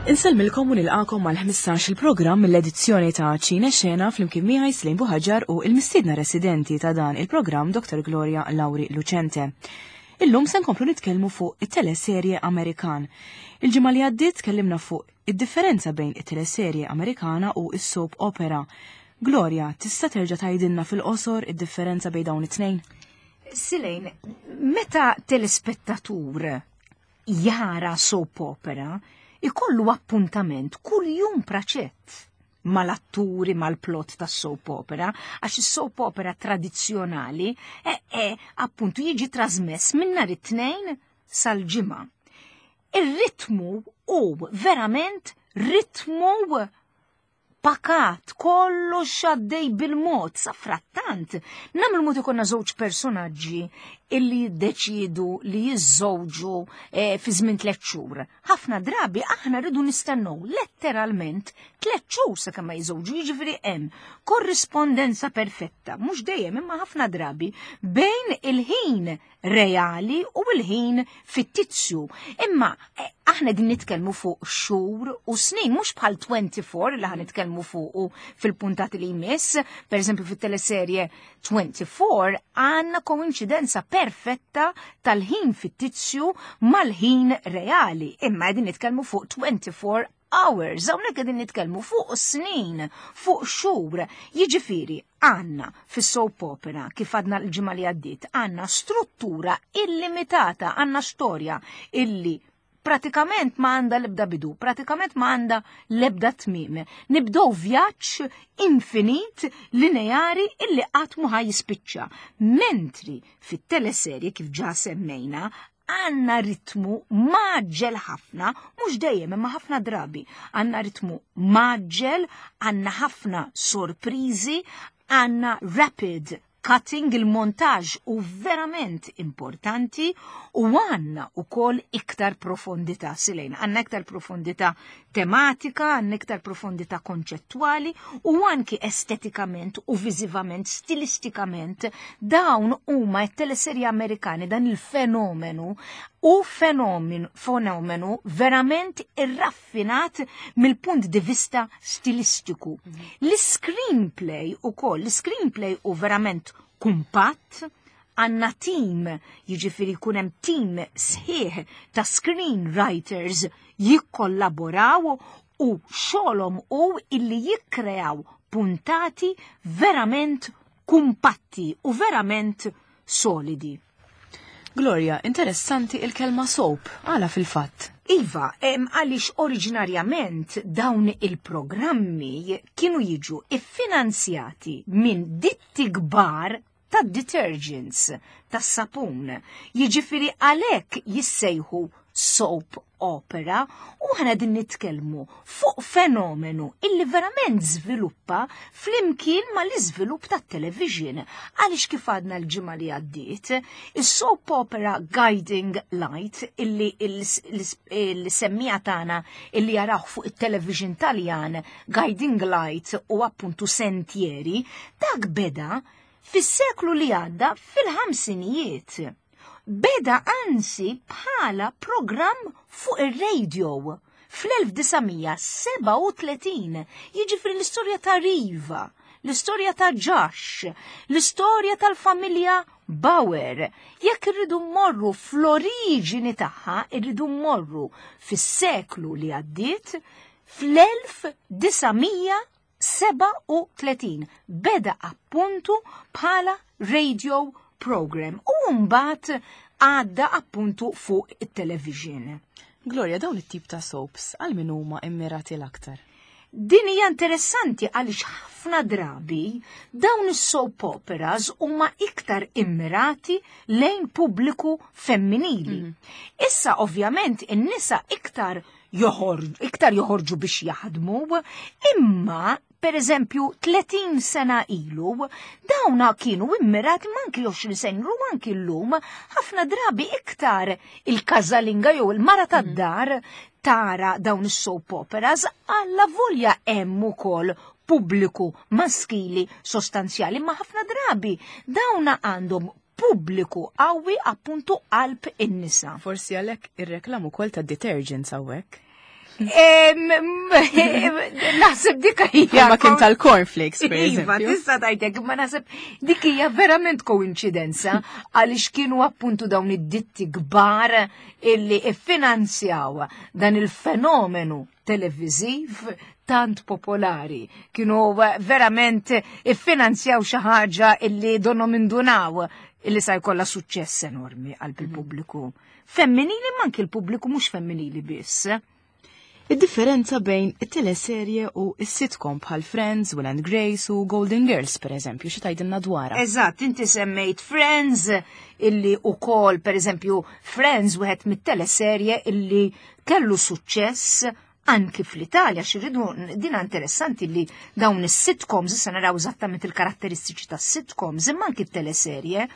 Insellmilkom u nilqakom mal-15 il-programm mill-edizzjoni ta' Ċine Xena flimkien miegħi Slim Buħaġar u il-mistiedna residenti ta' dan il-programm Dr. Gloria Lauri Lucente. Illum se nkomplu nitkellmu fuq it-teleserje Amerikan. Il-ġimgħa li għaddiet tkellimna fuq id-differenza bejn it-teleserje Amerikana u s-soap opera. Gloria, tista' terġa' tgħidilna fil-qosor id-differenza bejn dawn it-tnejn? Silejn, meta telespettatur jara soap opera, ikollu appuntament kull jum praċett mal-atturi, mal-plot tas soap opera, għax is-soap opera tradizzjonali e, e, appuntu jiġi trasmess minn nhar it-tnejn sal-ġimgħa. Ir-ritmu hu verament ritmu pakat, kollox għaddej bil-mod, sa frattant. Namlu mod ikonna żewġ personaġġi illi jiddeċidu li jiżżewġu eh, fi żmien tliet xhur. Ħafna drabi aħna rridu nistennew letteralment tliet xhur sakemm ma jiżżewġu, jiġifieri hemm korrispondenza perfetta, mhux dejjem imma ħafna drabi bejn il-ħin reali u l-ħin fittizju. Imma eh, aħna din nitkellmu fuq xhur u snin, mhux bħal 24 li ħan nitkellmu fuq fil-puntati li jmiss, per eżempju fit-teleserje 24 għandna koinċidenza perfetta tal-ħin fittizju mal-ħin reali. Imma qegħdin nitkellmu fuq 24 hours, hawnhekk qegħdin nitkellmu fuq snin, fuq xhur. Jiġifieri għandna fis-soap opera kif għadna l-ġimgħa li għaddiet, għandna struttura illimitata, għandna storja illi pratikament ma għanda lebda bidu, pratikament ma għanda lebda tmim. Nibdow vjaġġ infinit lineari illi qatt mu jispiċċa. Mentri fit-teleserje kif ġa semmejna, għanna ritmu maġġel ħafna, mhux dejjem imma ħafna drabi, għanna ritmu maġġel, għanna ħafna sorprizi, għanna rapid cutting, il-montaġ u verament importanti u għanna u kol iktar profondità silejn, għanna iktar profondità tematika, għanna iktar profondità konċettwali u anki estetikament u viżivament, stilistikament, dawn huma t-teleserji Amerikani dan il-fenomenu u fenomenu, fenomenu verament irraffinat mill-punt di vista stilistiku. L-screenplay u koll, l-screenplay u verament kumpatt, għanna team, jiġifieri jkun hemm team sħiħ ta' screenwriters jikkollaboraw u xogħolhom u illi jikkreaw puntati verament kumpatti u verament solidi. Gloria, interessanti il-kelma soap, għala fil-fatt. Iva, għaliex oriġinarjament dawn il-programmi kienu jiġu iffinanzjati minn ditti kbar tad-detergents, tas-sapun. Jiġifieri għalhekk jissejħu soap opera u ħana din nitkellmu fuq fenomenu illi verament żviluppa flimkien ma l-iżvilupp tat-television. Għaliex kif għadna l-ġimgħa li għaddiet, is-soap opera Guiding Light illi l-semmija tagħna illi jaraw fuq it-television Taljan Guiding Light u appuntu Sentieri, dak beda fis-seklu li għadda fil-ħamsinijiet. Beda anzi bħala programm fuq ir-radio fl-1937, jiġifieri l-istorja ta' Riva, l-istorja ta' Josh, l-istorja tal-familja Bauer. Jekk irridu mmorru fl-oriġini tagħha, irridu mmorru fis-seklu li għaddiet fl-1900 37 beda appuntu bħala radio program u mbagħad għadda appuntu fuq it-television. Gloria, dawn it-tip ta' soaps għal min huma immirati l-aktar? Din hija interessanti għaliex ħafna drabi dawn is-soap operas huma iktar immirati lejn pubbliku femminili. Mm -hmm. Issa ovvjament in-nisa iktar joħorġu, iktar joħorġu biex jaħdmu, imma per eżempju 30 sena ilu, dawna kienu immirati manki 20 sena ilu anki llum ħafna drabi iktar il-kazalinga jew il-mara mhm. tad-dar tara dawn is-soap operas alla volja hemm ukoll pubbliku maskili sostanzjali ma ħafna drabi dawna għandhom pubbliku qawwi appuntu qalb in-nisa. Forsi għalhekk ir-reklam ukoll ta' detergents hawnhekk. Naħseb dik hija. Ma kien tal-cornflakes, per Iva, eżempju. tista' tgħidlek, imma naħseb dik hija verament koinċidenza għaliex kienu appuntu dawn id-ditti kbar illi iffinanzjaw dan il-fenomenu televiżiv tant popolari. Kienu verament iffinanzjaw xi ħaġa illi donhom indunaw illi sa jkollha suċċess enormi qalb il-pubbliku. Femminili ma anki l-pubbliku mhux femminili biss. Id-differenza bejn it-teleserje u s-sitcom bħal Friends, Will and Grace u Golden Girls, per eżempju, xi tgħidilna dwarha? Eżatt, inti semmejt Friends illi ukoll, per eżempju, Friends wieħed mit-teleserje illi kellu suċċess anki fl-Italja, xirridu dina interessanti li dawn is-sitcoms, issa naraw eżattament il-karatteristiċi tas-sitcoms, imma anki t-teleserje,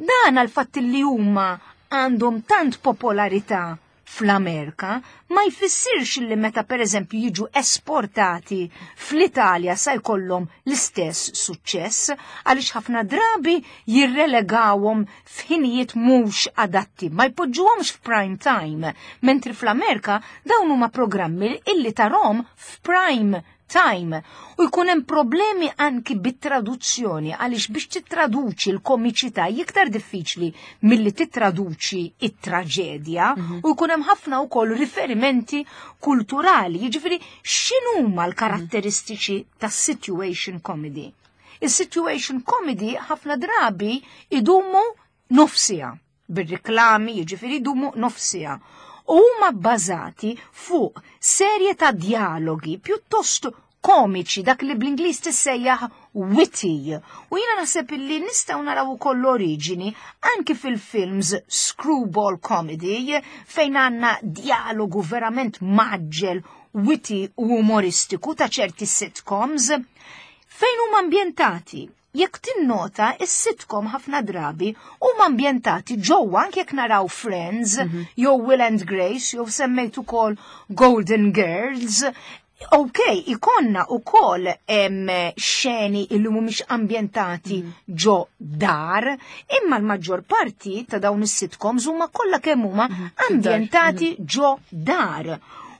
dan għal fatt li huma għandhom tant popolarità fl-Amerika ma jfissirx li meta per eżempju jiġu esportati fl-Italja sa jkollhom l-istess suċċess għaliex ħafna drabi jirrelegawhom f'ħinijiet mhux adatti, ma jpoġġuhomx f'prime time, mentri fl-Amerika dawn huma programmi illi tarahom f'prime time u jkun hemm problemi anki bit-traduzzjoni għaliex biex titraduċi l-komiċità iktar diffiċli milli titraduċi it-traġedja u jkun hemm ħafna wkoll riferimenti kulturali, jiġifieri x'inhuma l-karatteristiċi tas-situation comedy. Is-situation comedy ħafna drabi idumu nofs siegħa bir-riklami, jiġifieri idumu nofs siegħa. U huma bbażati fuq serje ta' dialogi pjuttost komiċi, dak li bl-Ingliż tissejjaħ witty. U jiena naħseb illi nistgħu naraw ukoll l-oriġini anki fil-films screwball comedy fejn għandna dialogu verament mgħaġġel, witty u umoristiku ta' ċerti sitcoms fejn huma ambjentati. Jekk tinnota, is-sitcom ħafna drabi huma ambjentati ġewwa anke jekk naraw Friends, jew Will and Grace, jew semmejt ukoll Golden Girls. Ok, ikonna ukoll hemm xeni illi mhumiex ambjentati ġo dar, imma l-maġġor parti ta' dawn is-sitcoms huma kollha kemm huma ambjentati ġo dar.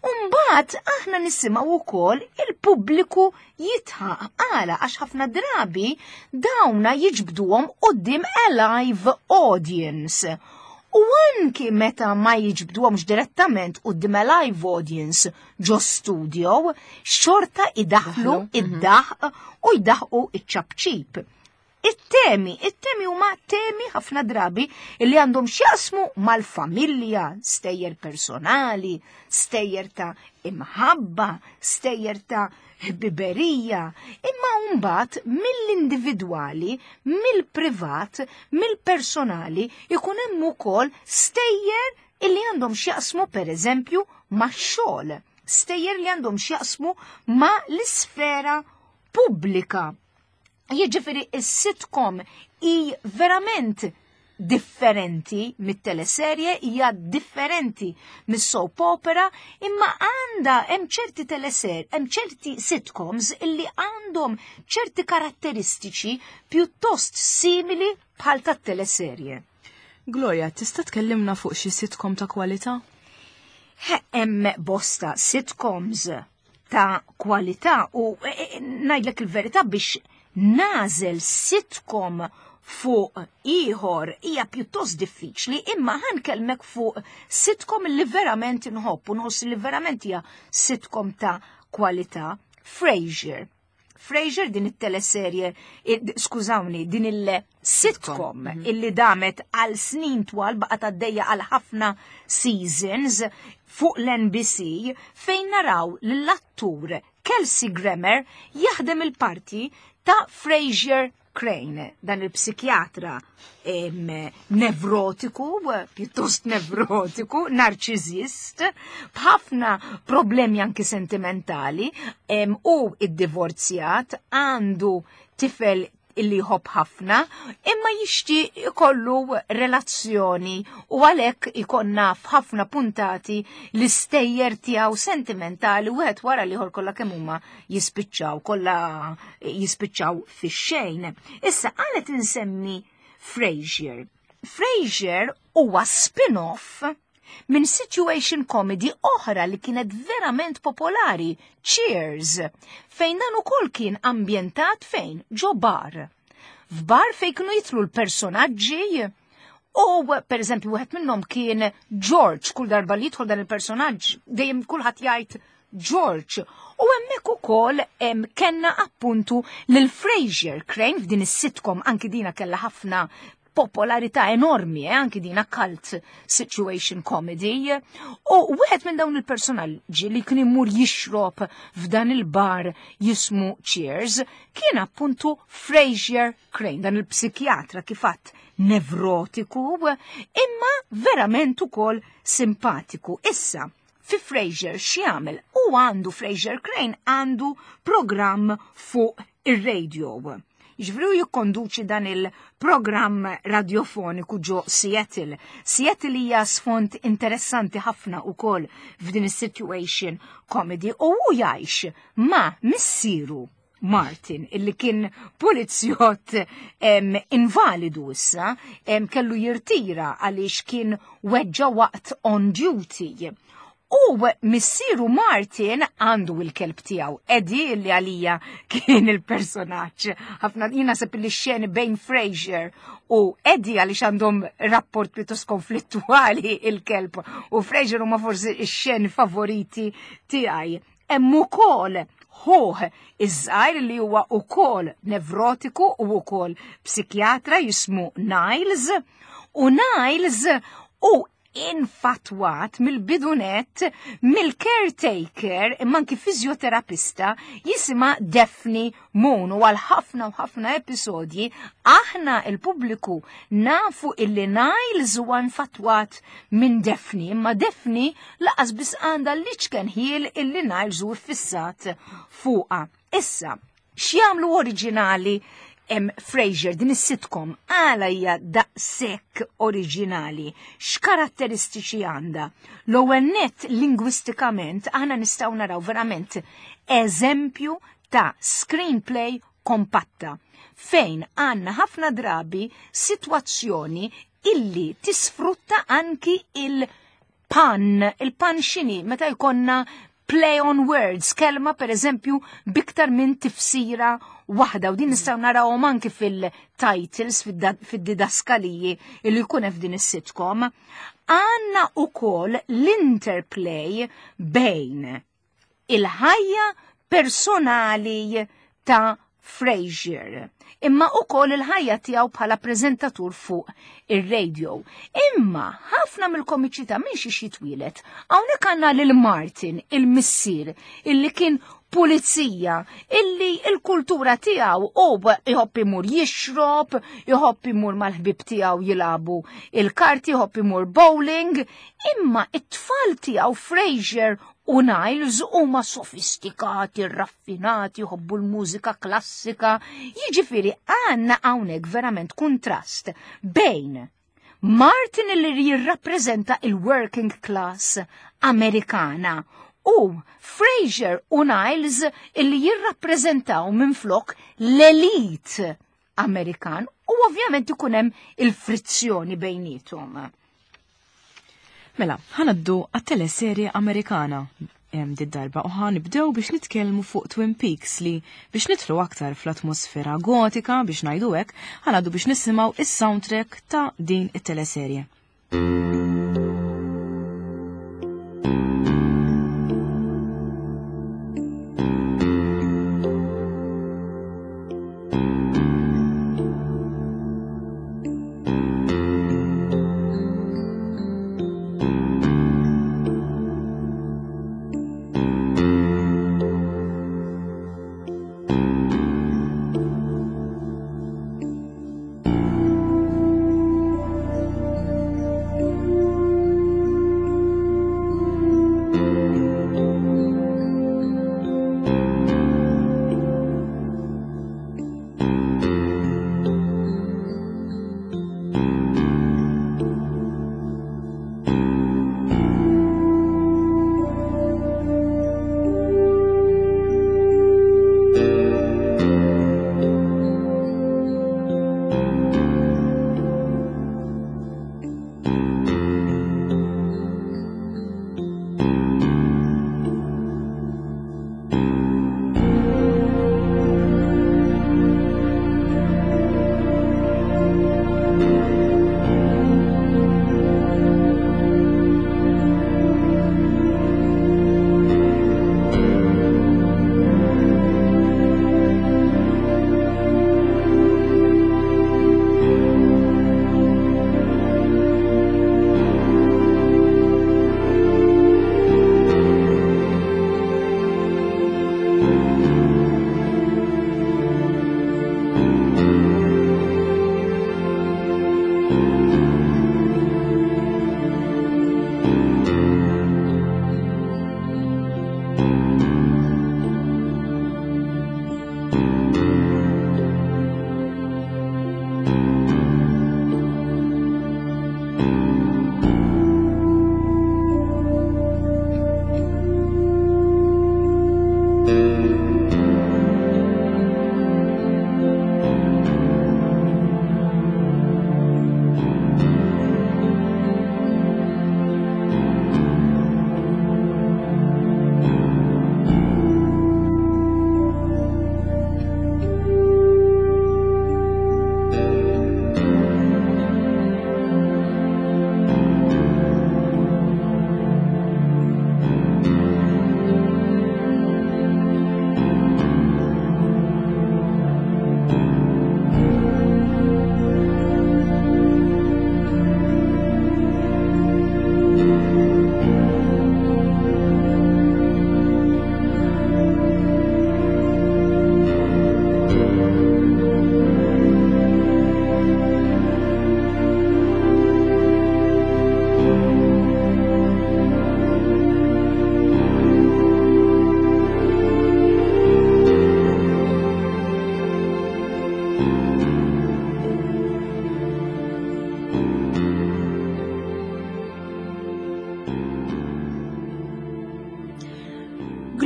Umbagħad aħna nisimgħu wkoll il-pubbliku jidħaq għala għax ħafna drabi dawna jiġbduhom quddiem a live audience. U anki meta ma jiġbduhomx direttament quddiem a live audience ġo studio, xorta idaħlu id-daħq u jdaħqu iċ-ċapċip. It-temi huma temi ħafna drabi li għandhom x'jaqsmu mal-familja, stejjer personali, stejjer ta' imħabba, stejjer ta' ħbiberija, imma mbagħad mill-individwali, mill-privat, mill-personali ikun hemm ukoll stejjer illi għandhom x'jaqsmu pereżempju max-xogħol, stejjer li għandhom x'jaqsmu ma' l-isfera pubblika. Jiġifieri is-sitcom hi verament differenti mit-teleserje, hija differenti mis-soap opera, imma għandha hemm ċerti teleserje, hemm ċerti sitcoms illi għandhom ċerti karatteristiċi pjuttost simili bħal tat-teleserje. Gloria, tista' tkellimna fuq xi sitcom ta' kwalità? Hemm bosta sitcoms ta' kwalità u ngħidlek il-verità biex nagħżel sitcom fuq ieħor hija pjuttost diffiċli, imma ħa nkellmek fuq sitcom li verament inħobb u nħoss li verament hija sitcom ta' kwalità. Frasier. Frasier din it-teleserje, skużawni, din il-sitcom illi damet għal snin twal baqgħet għaddejja għal ħafna seasons fuq l-NBC fejn naraw l-attur Kelsey Grammer jaħdem il-parti ta' Frasier Crane, dan il-psikjatra nevrotiku, pjuttost nevrotiku, narċisist, b'ħafna problemi anki sentimentali, u id-divorzjat, għandu tifel illi jħobb ħafna, imma jixtieq ikollu relazzjoni u għalhekk ikonna f'ħafna puntati l-istejjer tiegħu sentimentali u wieħed wara l-ieħor kollha kemm huma jispiċċaw, kollha jispiċċaw fix-xejn. Issa għalet insemmi Frasier. Frasier huwa spin-off minn situation comedy oħra li kienet verament popolari, Cheers, fejn dan ukoll kien ambjentat fejn ġo bar. F'bar fejn kienu jitlu l-personaġġi u per eżempju wieħed minnhom kien George, kull darba li jidħol dan il-personaġġ dejjem kulħadd jgħid George. U hemmhekk ukoll kellna appuntu lil Frasier Crane f'din is-sitcom anki dina kellha ħafna popolarità enormi, eh, anki dina cult situation comedy. U wieħed minn dawn il-personaġġi li kien imur jixrob f'dan il-bar jismu Cheers kien appuntu Frasier Crane, dan il-psikjatra kifat nevrotiku, imma verament ukoll simpatiku. Issa, fi Frasier x'jagħmel? U għandu Frasier Crane għandu programm fuq ir-radio. Jiġifieri jikkonduċi dan il-programm radiofoniku ġo Seattle. Seattle hija sfond interessanti ħafna ukoll f'din is-situation comedy u hu jgħix ma' missieru Martin, illi kien polizzjott invalidu issa, kellu jirtira għaliex kien weġġa waqt on duty. U missieru Martin għandu il-kelb tiegħu, Eddie li għalija kien il-personaġġ. Ħafna jina sepp li xeni bejn Frasier u Eddie għaliex għandhom rapport pjuttost konflittuali il-kelb u Frasier huma forsi x-xeni favoriti tiegħi. Hemm ukoll ħuh iż-żgħir li huwa ukoll nevrotiku u ukoll psikjatra jismu Niles u Niles u infatwat mill-bidunet mill-caretaker imma anki fizjoterapista jisima Daphne Moon u għal ħafna u ħafna episodji aħna il-pubbliku nafu illi Niles huwa infatwat minn Daphne imma Daphne laqas biss għandha l-iċken ħiel illi Niles hu ffissat fuqha. Issa, x'jagħmlu oriġinali Frasier din is-sitcom għala hija daqshekk oriġinali, x'karatteristiċi għandha? L-ewwel nett lingwistikament aħna nistgħu naraw verament eżempju ta' screenplay kompatta fejn għandna ħafna drabi sitwazzjoni illi tisfrutta anki il-pun, il-pun x'inhi meta jkollna play on words, kelma per eżempju biktar minn tifsira waħda u din nistgħu narawhom anki fil-titles, fid-didaskaliji li jkun hemm f'din is-sitcom. Għandna ukoll l-interplay bejn il-ħajja personali ta' Frasier, imma ukoll il-ħajja tiegħu bħala preżentatur fuq ir-radio. Imma ħafna mill-komiċità minn xi jitwielet. Hawnhekk għandna lil Martin, il-missier, illi kien pulizija, illi il-kultura tiegħu u jħobb imur jixrob, jħobb imur mal-ħbib tiegħu jilagħbu il-karti, jħobb imur bowling, imma it-tfal tiegħu Frasier u Niles huma sofistikati, raffinati, jħobbu l-mużika klassika. Jiġifieri għandna hawnhekk verament kuntrast bejn Martin li jirrappreżenta il-working class Amerikana u Frasier u Niles illi jirrappreżentaw minflok l-elit Amerikan u ovvjament ikun hemm il-frizzjoni bejniethom. Mela, ħanaddu għat-teleserje Amerikana did-darba u ħanibdew biex nitkellmu fuq Twin Peaks li biex nidħlu aktar fl-atmosfera gotika biex ngħidu hekk, ħanaddu biex nisimgħu is-soundtrack ta' din it-teleserje.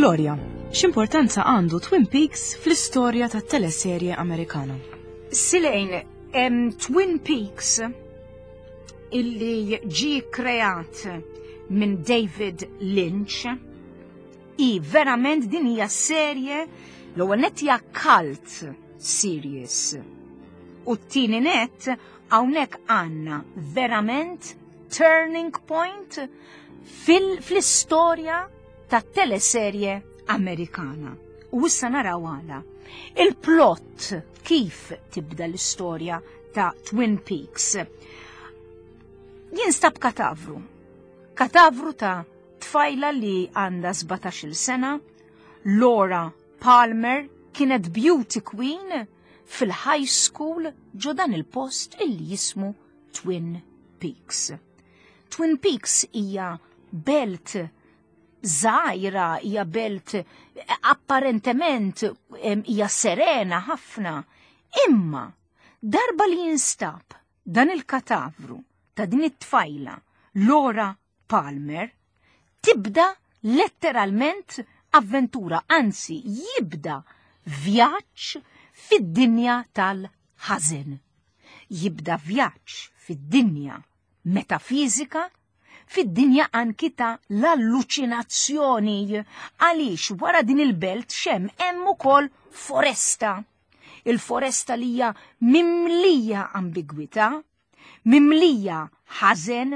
Gloria, x'importanza għandu Twin Peaks fl-istorja tat-teleserje Amerikana? Silejn, Twin Peaks illi ġie kreat minn David Lynch i verament din hija serje l-ewwel nett hija cult series. U t-tieni nett hawnhekk għandna verament turning point fl-istorja ta' teleserje Amerikana. U issa naraw għala. Il-plot kif tibda l-istorja ta' Twin Peaks. Jinstab katavru. Katavru ta' tfajla li għandha 17-il sena, Laura Palmer kienet beauty queen fil-high school ġo dan il-post illi jismu Twin Peaks. Twin Peaks hija belt żgħira, hija belt apparentement hija serena ħafna, imma darba li jinstab dan il-katavru ta' din it-tfajla Laura Palmer, tibda letteralment avventura, anzi jibda vjaġġ fid-dinja tal-ħażen. Jibda vjaġġ fid-dinja metafiżika, fid-dinja anki ta' l-alluċinazzjoni, għaliex wara din il-belt xem hemm ukoll foresta. Il-foresta li hija mimlija ambigwità, mimlija ħażen,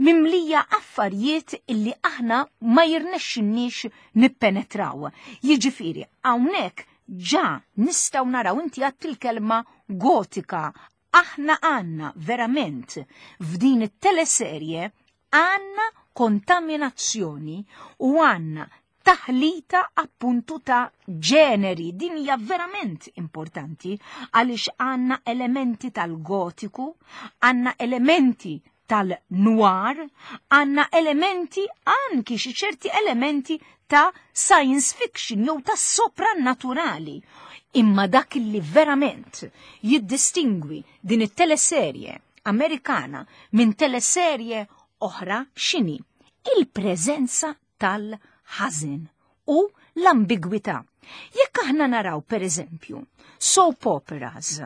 mimlija affarijiet illi aħna ma jirnexxinniex nippenetraw. Jiġifieri, hawnhekk ġa nistgħu naraw inti għadt il-kelma gotika. Aħna għandna verament f'din it-teleserje għandna kontaminazzjoni u għandna taħlita appuntu ta' ġeneri. Din hija verament importanti għaliex għandna elementi tal-gotiku, għandna elementi tal-noir, għandna elementi anki xi ċerti elementi ta' science fiction jew ta' soprannaturali. Imma dak li verament jiddistingwi din it-teleserje Amerikana minn teleserje oħra x'inhi? Il-preżenza tal-ħażen u l-ambigwità. Jekk aħna naraw per eżempju soap operas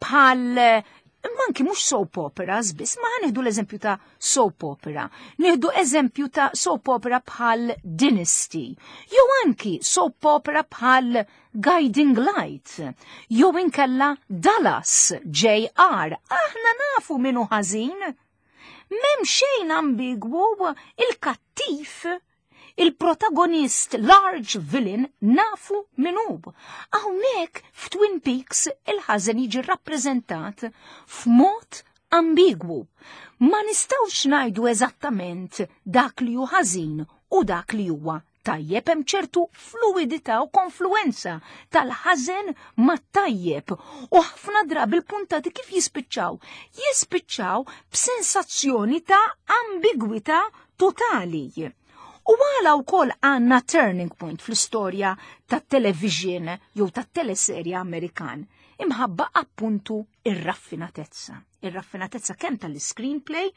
bħal imma anki mhux soap operas biss, ma nieħdu l-eżempju ta' soap opera, nieħdu eżempju ta' soap opera bħal Dynasty, jew anki soap opera bħal Guiding Light, jew inkella Dallas JR, aħna nafu min hu ħażin. M'hemm xejn ambigwu, il-kattiv, il-protagonist, large villain, nafu min hu. Hawnhekk f'Twin Peaks il-ħażen jiġi rappreżentat f'mod ambigwu. Ma nistgħux ngħidu eżattament dak li hu ħażin u dak li huwa tajjeb, hemm ċertu fluidità u konfluenza tal-ħażen mat-tajjeb u ħafna drabi il-puntati kif jispiċċaw? Jispiċċaw b'sensazzjoni ta' ambigwità totali. U għala wkoll għandna turning point fl-istorja tat-television jew tat-teleserja Amerikan, imħabba appuntu ir-raffinatezza. Ir-raffinatezza kemm tal-screenplay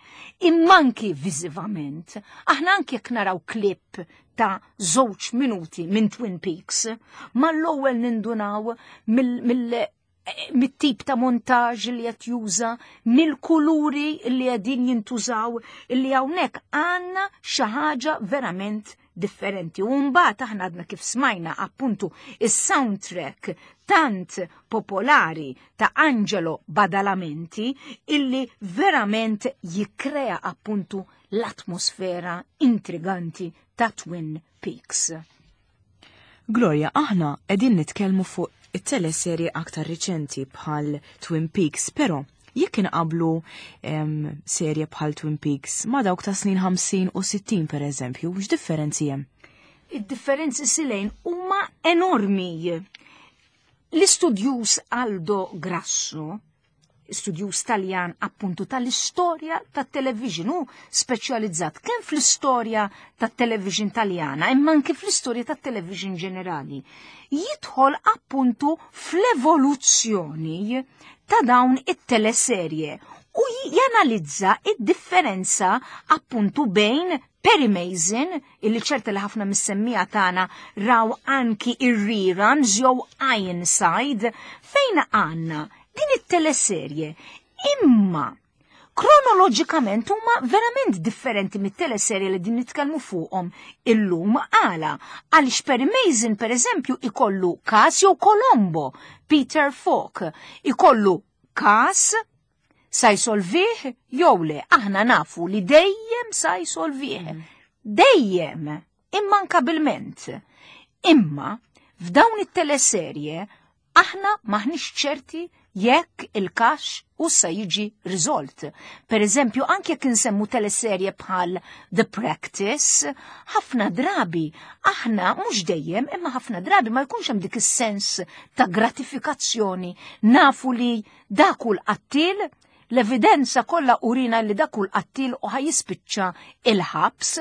imma anki viżivament. Aħna anki jekk naraw clip ta' 2 minuti minn Twin Peaks, mal-ewwel nindunaw mit-tip ta' montaġ li qed juża, mill-kuluri li qegħdin jintużaw, li hawnhekk għandna xi ħaġa verament differenti. U mbagħad aħna għadna kif smajna appuntu is-soundtrack tant popolari ta' Angelo Badalamenti illi verament jikkrea appuntu l-atmosfera intriganti ta' Twin Peaks. Gloria, aħna qegħdin nitkellmu fuq it-teleserje aktar riċenti bħal Twin Peaks, però jekk inqablu serje bħal Twin Peaks ma' dawk ta' snin 50 u 60 per eżempju, x'differenzi hemm? Id-differenzi silejn huma enormi. L-istudjuż Aldo Grasso, studjuż Taljan appuntu tal-istorja tat-television, hu speċjalizzat kemm fl-istorja tat-television Taljana imma anke fl-istorja tat-television ġenerali. Jidħol appuntu fl-evoluzzjoni ta' dawn it-teleserje U janalizza id-differenza appuntu bejn Perry Mason, illi ċerta li ħafna mis-semmija tagħna raw anki ir-reruns jew Ironside, fejn għandna din it-teleserje. Imma kronoloġikament huma verament differenti mit-teleserje li din nitkellmu fuqhom illum għala għaliex Perry Mason per eżempju ikollu każ jew Colombo, Peter Falk, ikollu każ sa jsolvih jew le, aħna nafu li dejjem sa jsolvih. Dejjem, immankabilment. Imma f'dawn it-teleserje aħna maħniex ċerti jekk il-każ u sa jiġi riżolt. Per eżempju, anke jekk insemmu teleserje bħal The Practice, ħafna drabi aħna mhux dejjem, imma ħafna drabi ma jkunx hemm dik is-sens ta' gratifikazzjoni nafu li dak hu l-qattil, l-evidenza kollha urina li dak hu l-qattil u ħajispiċċa il-ħabs,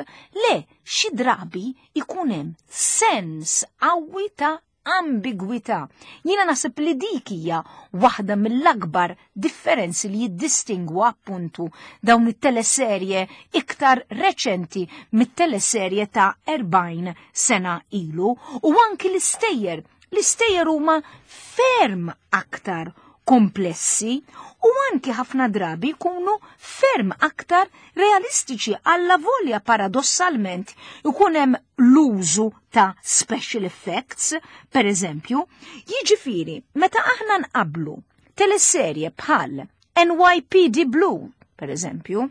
le xi drabi ikun hemm sens qawwi ta' ambigwità. Jiena naħseb li dik hija waħda mill-akbar differenzi li jiddistingwu appuntu dawn it-teleserje iktar reċenti mit-teleserje ta' 40 sena ilu u anki l-istejjer. L-istejjer huma ferm aktar komplessi u anki ħafna drabi jkunu ferm aktar realistiċi alla volja paradossalment ikun hemm l-użu ta' special effects, per eżempju, jiġifieri meta aħna nqablu teleserje bħal NYPD Blue, per eżempju,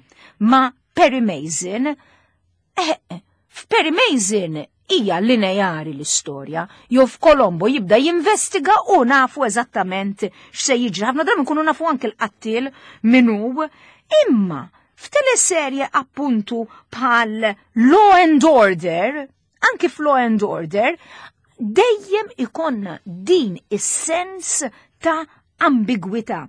ma' Perry Mason, f'Perry Mason hija lineari l-istorja, jew f'Colombo jibda jinvestiga u nafu eżattament x'se jiġri. Ħafna drabi nkunu nafu anke l-qattil min hu, imma f'teleserje appuntu bħal Law and Order, anki f'Law and Order, dejjem ikonna din is-sens ta' ambigwità.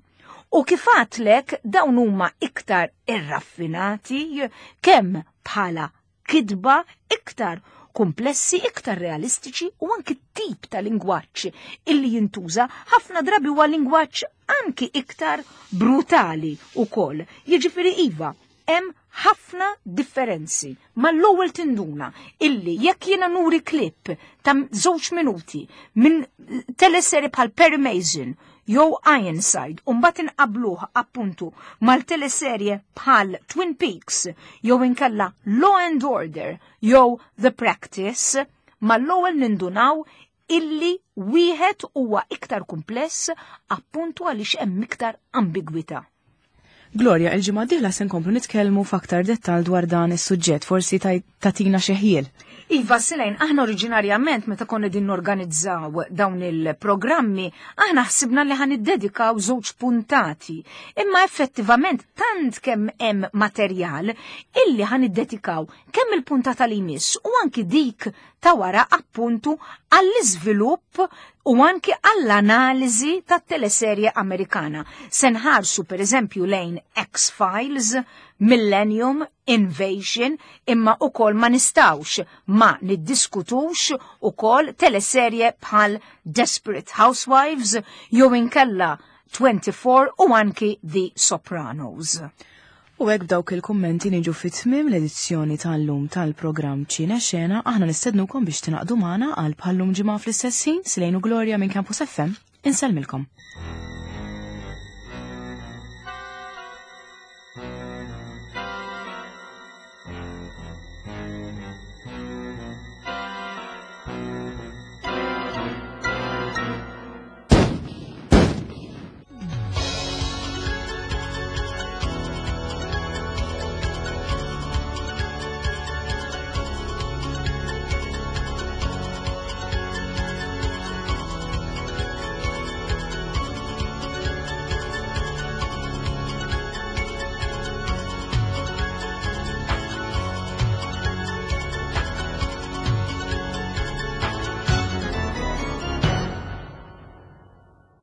U kif għadtlek dawn huma iktar irraffinati kemm bħala kitba iktar komplessi, iktar realistiċi u anki tip ta' lingwaġġ illi jintuża ħafna drabi huwa lingwaġġ anki iktar brutali ukoll. Jiġifieri iva, hemm ħafna differenzi. Mal-ewwel tinduna illi jekk jiena nuri klip ta' żewġ minuti minn teleserje bħal Perry Mason jew Ironside u mbagħad inqabluh appuntu mal-teleserje bħal Twin Peaks jew inkella Law and Order jew The Practice, mal-ewwel nindunaw illi wieħed huwa iktar kumpless appuntu għaliex hemm iktar ambigwità. Gloria, il-ġimgħa d-dieħla se nkomplu nitkellmu f'aktar dettal dwar dan is-suġġett, forsi tatina xi ħjiel. Iva, Silejn, aħna oriġinarjament meta konna din norganizzaw dawn il-programmi, aħna ħsibna li ħan iddedikaw żewġ puntati. Imma effettivament tant kemm hemm materjal illi ħan iddedikaw kemm il-puntata li jmiss u anki dik ta' wara appuntu għall-iżvilupp u anki għall-analiżi tat-teleserje Amerikana. Se nħarsu per eżempju lejn X-Files, Millennium, Invasion, imma ukoll ma nistawx ma niddiskutux ukoll teleserje bħal Desperate Housewives jew inkella 24 u anki The Sopranos. U hekk b'dawk il-kummenti niġu fi tmiem l-edizzjoni tal-lum tal-programm Ċine Xena, aħna nistednukom biex tingħaqdu magħna għal bħallum ġimgħa fl-istess ħin, Silejn u Gloria minn Campus FM, insellmilkom.